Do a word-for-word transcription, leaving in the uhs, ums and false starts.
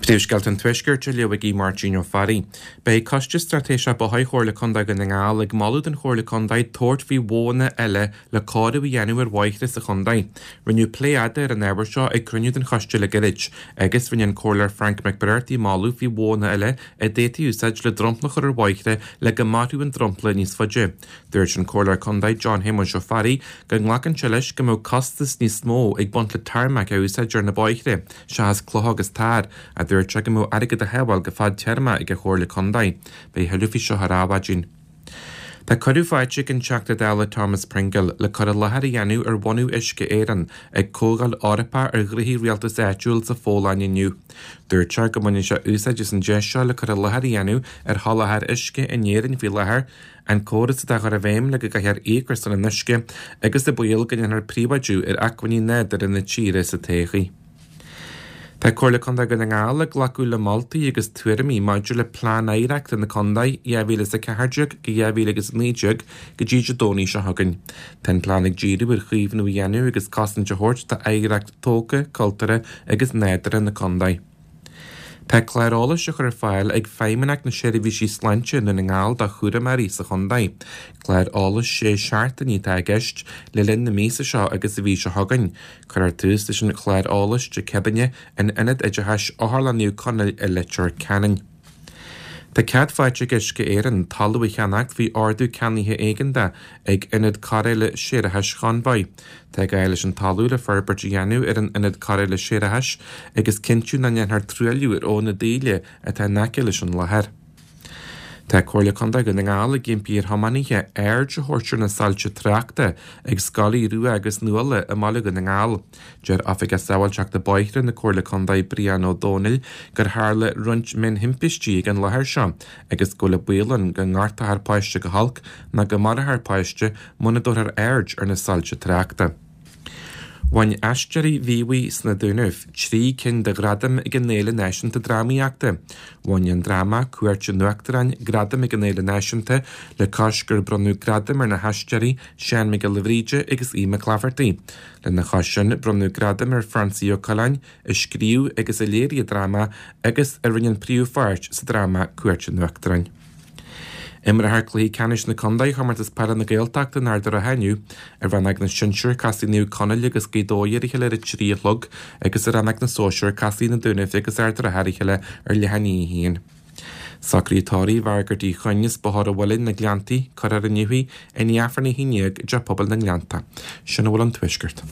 Príomhscéalta an Tuaiscirt á léamh ag Máirtín Ó Fearraigh. Beidh Coiste Straitéiseach Bóithre Chomhairle Contae Dhún na nGall ag moladh don Chomhairle Contae tabhairt faoi mhodhanna eile le cóiriú a dhéanamh ar bhóithre sa chontae. Rinneadh plé fhada ar an ábhar seo ag cruinniú den choiste le gairid, agus rinne an Comhairleoir Frank McBrearty moladh faoi mhodhanna eile a d'fhéadfaí úsáid le dromchla a chur ar bhóithre le go mairfeadh an dromchla níos faide. Dúirt an Comhairleoir Contae John Shéamuis Ó Fearraigh go nglacann sé leis go mbeadh costas níos mó ag baint le tarmac a úsáid ar na bóithre, seachas clocha agus tar, a dúirt sé go mbeadh airgead a shábháil go fadtéarma ag an Chomhairle Contae. Beidh tuilleadh faoi seo ar Adhmhaidin. Tá cuireadh faighte ag an Teachta Dála Thomas Pringle le cur i láthair a dhéanamh ar bhunú Uisce Éireann ag Comhdháil Eorpach ar Ghnoithí Rialtais Áitiúil sa Pholainn inniu. Dúirt sé go mbaineann sé úsáid as an deis seo le cur i láthair a dhéanamh ar sholáthar uisce in Éirinn faoi láthair, an córas atá á chur i bhfeidhm le go gcaithfear íoc ar son an uisce agus an baol go ndéanfar príobháidiú ar acmhainní nádúrtha na tíre sa todhchaí. Tá Comhairle Contae Dhún na nGall ag glacadh le moltaí agus tuairimí maidir le Plean Oidhreachta na Contae dhá mhíle is a ceathair déag go dhá mhíle agus a naoi déag go dtí Dé Domhnaigh seo chugainn. Tá an plean ag díriú ar chaomhnú a dhéanamh agus cosaint a thabhairt d'oidhreacht tógtha, cultúrtha agus nádúrtha na contae. Tá clár eolais á chur ar fáil ag Feidhmeannacht na Seirbhísí Sláinte i nDún na nGall do chúramóirí sa chontae. Clár eolais sé seachtainí atá i gceist le linn na míosa seo agus an mhí seo chugainn. Cuirfear tús leis an chlár eolais Dé Céadaoine in Ionad Oideachais Otharlann Naomh Conaill i Leitir Ceanainn. Tá cead faighte ag Uisce Éireann talamh a cheannacht faoi ordú ceannaithe éigeantach ag Ionad Cóireála Séarachais Chonbhaigh. Tá gá leis an talamh le forbairt a dhéanamh ar an Ionad Cóireála Séarachais agus cinntiú nach ndéanfar truailliú ar Abhainn na Daoile atá in aice leis an láthair. Tá Comhairle Contae Dhún na nGall ag impí ar thiománaithe aird a thabhairt ar na soilse tráchta ag Scoil Aodh Rua agus Nuala i mBaile Dhún na nGall. Deir Oifigeach Sábháilteachta Bóithre na Comhairle Contae Brian Ó Dónaill gur tharla roinnt mionthimpistí ag an láthair seo agus go bhfuil an baol ann go ngortófar páiste go holc nó go marófar páiste muna dtabharfar aird ar na soilse tráchta. Bhain Aisteoirí Mhíobhaigh sna Dúnaibh trí cinn de ghradaim ag an Fhéile Náisiúnta Drámaíochta. Bhain an dráma Cuairt an Uachtaráin gradam ag an Fhéile Náisiúnta le cois gur bronnadh gradam ar na haisteoirí Seán Mac Giolla Bhríde agus Aodh Mac Laifeartaigh. Lena chois sin bronnadh gradam ar Francie Ó Coileáin a scríobh agus a léirigh an dráma agus a rinne an príomhpháirt sa dráma Cuairt an Uachtaráin. Imreofar cluichí ceannais na Contae Chomórtas Peile na Gaeltachta in Ard an Rátha inniu. I rannóg na sinsear casfaidh Naomh Conaill agus Gaoth Dobhair ar a chéile ar a trí a chlog agus i rannóg na sóisear casfaidh na Dúnaibh agus Ard an Rátha ar a chéile ar leath i ndiaidh a haon. Socruithe tórraimh Mhargaret Uí Choinn as Bóthar an Mhuilinn, na Gleanntaí, cuirfear inniu í i ndiaidh Aifreann a haon déag i dTeach Pobail na nGleannta. Sin a bhfuil ón Tuaisceart.